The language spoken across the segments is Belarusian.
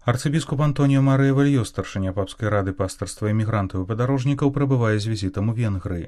Арцыбіскуп Антоніо Марыя Вальё, старшыня папскай рады пастырства эмігрантаў і падарожнікаў, прабывае з візітам у Венгрыі.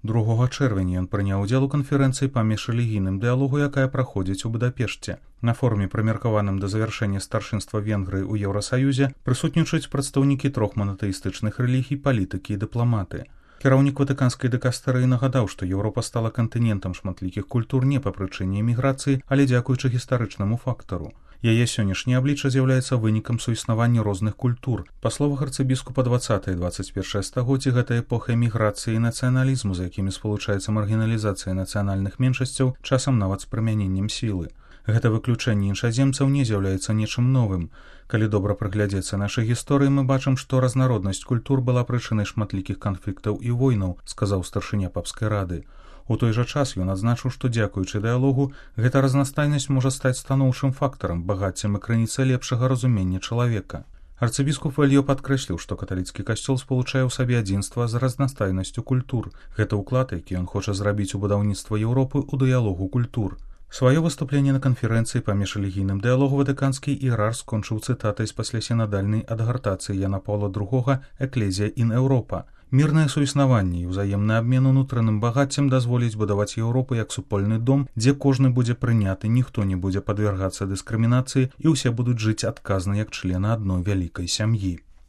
2 чэрвеня ён прыняў удзел у канферэнцыі па міжрэлігійным дыялогу, якая праходзіць у Будапешце. На форуме, прымеркаваным да завяршэння старшынства Венгрыі ў Еўрасаюзе, прысутнічаюць прадстаўнікі 3 манатэістычных рэлігій, палітыкі і дыпламаты. Кіраўнік ватыканскай дыкастэрыі нагадаў, што Еўропа стала кантынентам шматлікіх культур не па прычыне эміграцыі, але дзякуючы гістарычнаму фактару. Яе сённяшняе аблічча з'яўляецца вынікам суіснавання розных культур. Па словах арцыбіскупа, 20-21 стагоддзі гэта эпоха эміграцыі і нацыяналізму, з якімі спалучаецца маргіналізацыя нацыянальных меншасцяў, часам нават з прымяненнем сілы. Гэта выключэнне іншаземцаў не з'яўляецца нечым новым. Калі добра прыглядзецца нашай гісторыі, мы бачым, што разнароднасць культур была прычынай шматлікіх канфліктаў і войнаў, сказаў старшыня папскай рады. У той жа час ён адзначыў, што дзякуючы дыялогу гэта разнастайнасць можа стаць станоўчым фактарам, багаццем і крыніцай лепшага разумення чалавека. Арцыбіскуп Вальё падкрэсліў, што каталіцкі касцёл спалучае ў сабе адзінства з разнастайнасцю культур. Гэта ўклад, які ён хоча зрабіць у будаўніцтва Еўропы ў дыялогу культур. Сваё выступленне на канферэнцыі па міжрэлігійным дыялогу ватыканскі іерарх скончыў цытатай з паслясінадальнай адгартацыі Яна Паўла II «Эклезія ін Еўропа». Мірнае суіснаванне і ўзаемны абмен унутраным багаццем дазволіць будаваць Еўропу як супольны дом, дзе кожны будзе прыняты, ніхто не будзе падвергацца дыскрымінацыі і ўсе будуць жыць адказна як члены адной вялікай сям'і.